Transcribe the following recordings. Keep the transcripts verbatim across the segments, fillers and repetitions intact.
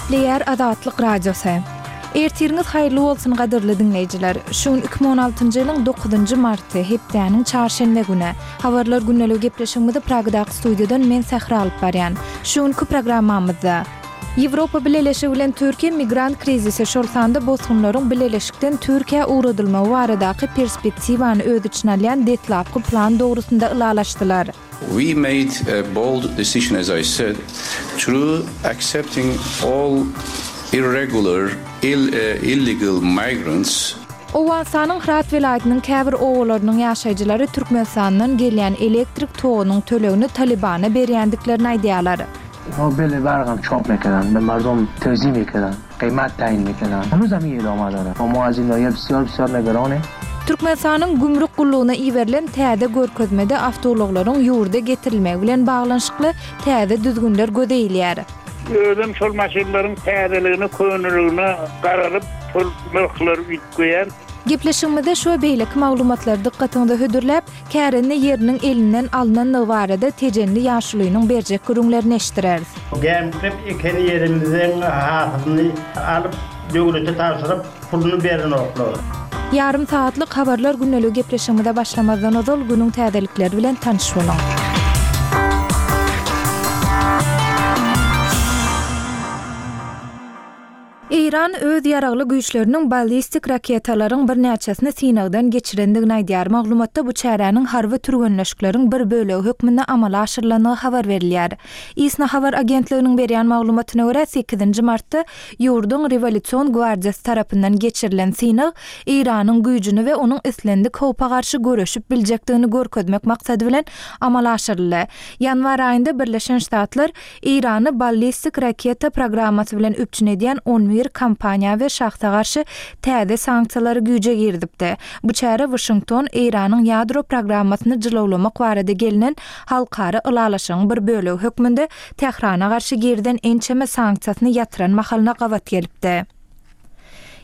Gepleýär Azatlyk Radiosy. Ertiriňiz haýyrly bolsun gadyrly diňleýjiler. Şu gün iki müň on altynjy ýylyň dokuzynjy marty, hepdäniň çarşenbe güni. Habarlar gündeligi gepleşigimizi Pragadaky studiýadan men Sähra alyp barýan. Şu günki programmamyzda Ýewropa Bileleşigi bilen Türkiýe migrant krizisi, şol sanda bosgunlaryň bileleşikden Türkiýä ugradylmagy baradaky perspektiwany öz içine alýan deslapky plan dogrusynda ylalaşdylar. We made a bold decision, as I said, through accepting all irregular, ill, uh, illegal migrants. Owganystanyň Hyrat welaýatynyň käbir obalarynyň ýaşaýjylary Türkmenistandan gelýän elektrik togunyň tölegini Talybana berýändiklerini aýdýarlar. Ýa beli bargam çop mekedan, be mardum tewzi mekedan, gyýmat taýyn mekedan. Henuzam ýedi omadara. O muazin ýa bisýor bisýor negerone. Türkmenistanyň gümrük gullugyna iberilen täze görkezmede awtoulaglaryň ýurda getirilmegi bilen baglanyşykly täze düzgünler göze ilýär. Özüm şol maşynlaryň täzeligine, köneligine garalyp, şol nyrhlary üýtgeýän. Gepleşigimizde şu we beýleki maglumatlary dykgatyňyza hödürläp, kärende ýeriniň elinden alnanlygy barada Tejenli ýaşulynyň berjek gürrüňlerini eşitdireris. Gämikläp eken ýerimizden hasylyny alyp, döwlete tabşyryp, puluny berenoklar. Ýarym sagatlyk habarlar gündeligi gepleşigimize başlamazdan ozal günüň täzelikleri bilen tanyş boluň. Eýran öz ýaragly güýçleriniň ballistik raketalaryň birnäçesini synagdan geçirendigini aýdýar. Maglumatda bu çäräniň harby türgenleşikleriň bir bölegi hökmünde amala aşyrylandygy habar berilýär. ISNA habar agentliginiň berýän maglumatyna görä, sekizinji martda ýurduň Rewolýusion gwardiýasy tarapyndan geçirilen synag Eýranyň güýjüni we onuň islendik howpa garşy göreşip biljekdigini görkezmek maksady bilen amala aşyryldy. Ýanwar aýynda Birleşen Ştatlar Eýrany ballistik raketa programmasy bilen üpjün edýän on bir kompaniýa we şahsa garşy täze sanksiýalary güýje girizipdi. Bu çäre Waşington Eýranyň ýadro programmasyny jylawlamak barada gelinen halkara ylalaşygyň bir bölegi hökmünde Tährana garşy girizen ençeme sanksiýasyny ýatyran mahalyna gabat gelipdi.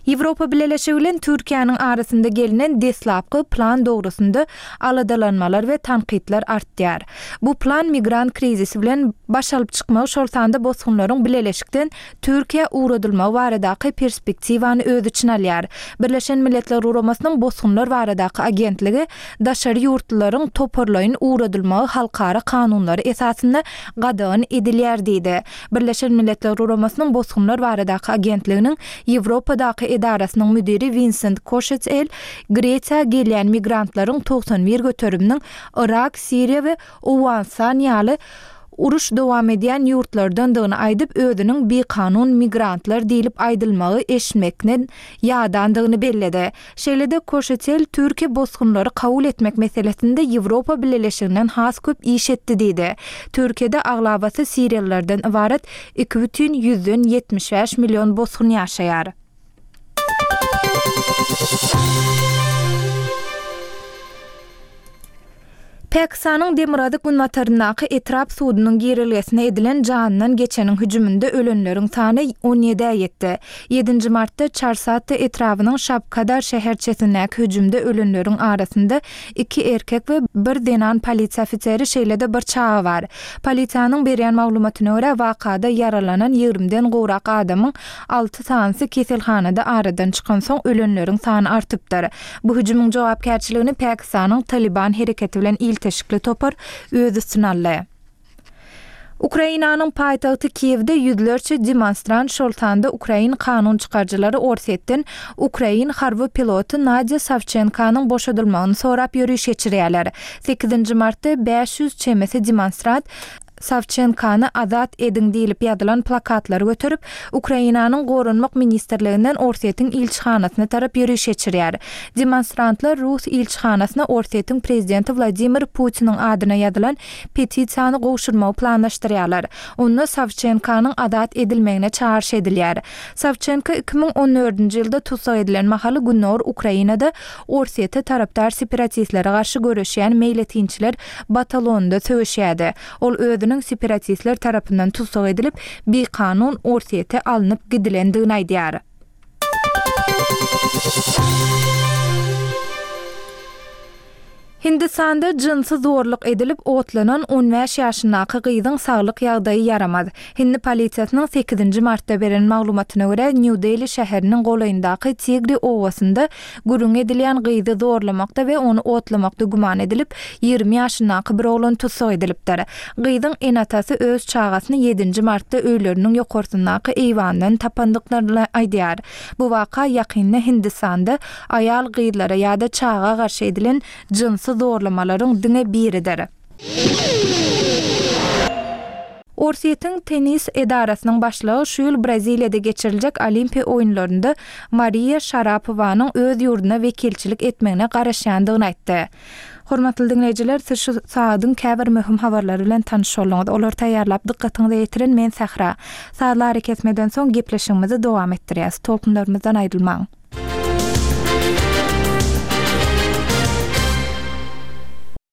Ýewropa Bileleşigi bilen Türkiýäniň arasynda gelinen deslapky plan dogrusynda aladalanmalar we tankytlar artýar. Bu plan migrant krizisi bilen baş alyp çykmagy, şol sanda bosgunlaryň bileleşikden Türkiýä ugradylmagy baradaky perspektiwany öz içine alýar. Birleşen Milletler Guramasynyň bosgunlar baradaky agentligi daşary ýurtlylaryň toparlaýyn ugradylmagy halkara kanunlary esasynda gadagan edilýär diýdi. Birleşen Milletler Guramasynyň bosgunlar baradaky agentliginiň Ýewropadaky edarasynyň müdiri Vincent Koşetel Gresiýa gelýän migrantlaryň togsan bir göteriminiň Irak, Siriýa we Owganystan ýaly uruş dowam edýän ýurtlardandygyny aýdyp, özüniň bikanun migrantlar diýlip aýdylmagy eşitmekden ýadandygyny belledi. Şeýle-de Koşetel Türkiýe bosgunlary kabul etmek meselesinde Ýewropa Bileleşiginden has köp iş etdi diýdi. Türkiýede aglabasy Siriýalylardan ybarat iki bütin ýüzden ýetmiş bäş million bosgun ýaşaýar. Pakistanyň demirgazyk günbataryndaky etrap sudunyň girelgesine edilen janyndan geçeniň hüjüminde ölenleriň sany on ýedä ýetdi. Ýedinji martda Çarsatta etrabynyň Şabkadar şäherçesindäki hüjümde ölenleriň arasynda iki erkek we bir zenan polisiýa ofiseri, şeýle-de bir çaga bar. Polisiýanyň berýän maglumatyna görä, wakada ýaralanan ýigrimiden gowrak adamyň alty sanysy keselhanada aradan çykansoň ölenleriň sany artypdyr. Bu hüjümiň jogapkärçiligini Pakistanyň Taliban hereketi bilen ilteşikli topar öz üstüne aldy. Ukrainanyň paýtagty Kiýewde ýüzlerçe demonstrant, şol sanda ukrain kanun çykaryjylary Orsýetden ukrain harby piloty Nadýa Sawçenkanyň boşadylmagyny sorap ýöriş geçirýärler. Sekizinji martda bäş ýüz çemesi demonstrant Sawçenkany azat ediň diýlip ýazylan plakatlary göterip, Ukrainanyň Goranmak ministrliginden Orsýetiň ilçihanasyna tarap ýöriş geçirýär. Demonstrantlar Rus ilçihanasyna Orsýetiň prezidenti Wladimir Putiniň adyna ýazylan petisiýany gowşurmagy planlaşdyrýarlar. Onda Sawçenkanyň azat edilmegine çagyryş edilýär. Sawçenka iki müň on dördünji ýylda tussag edilen mahaly Gündogar Ukrainada Orsýete tarapdar separatistlere garşy göreşýän meýletinçiler batalonynda söweşýärdi. Ol özüniň separatistler tarapyndan tussag edilip, bikanun Orsýete alnyp gidilendigini aýdýar. Hindistanda jynsy zorluk edilip otlanan on bäş ýaşyndaky gyzyň saglyk ýagdaýy ýaramaz. Hindi polisiýasynyň sekizinji martda beren maglumatyna görä, Nýu-Deli şäheriniň golaýyndaky Tigri obasynda gürrüňi edilýän gyzy zorlamakda we ony otlamakda güman edilip, ýigrimi ýaşyndaky bir oglan tussag edilipdir. Gyzyň ene-atasy öz çagasyny ýedinji martda öýleriniň ýokarsyndaky eýwandan tapandyklaryny aýdýar. Bu waka ýakynda Hindistanda aýal-gyzlara ýa-da çaga garşy edilen jynsy zorlamalaryň diňe biridir. Orsýetiň tennis edarasynyň başlygy şu ýyl Braziliýada geçiriljek Olimpiýa oýunlarynda Mariýa Şarapowanyň öz ýurduna wekilçilik etmegine garaşýandygyny aýtdy. Hormatly diňleýjiler, siz şu sagadyň käbir möhüm habarlary bilen tanyş bolduňyz. Olary taýýarlap dykgatyňyza ýetiren men Sähra. Sazly arakesmeden soň gepleşigimizi dowam etdirýäs. Tolkunlarymyzdan aýrylmaň.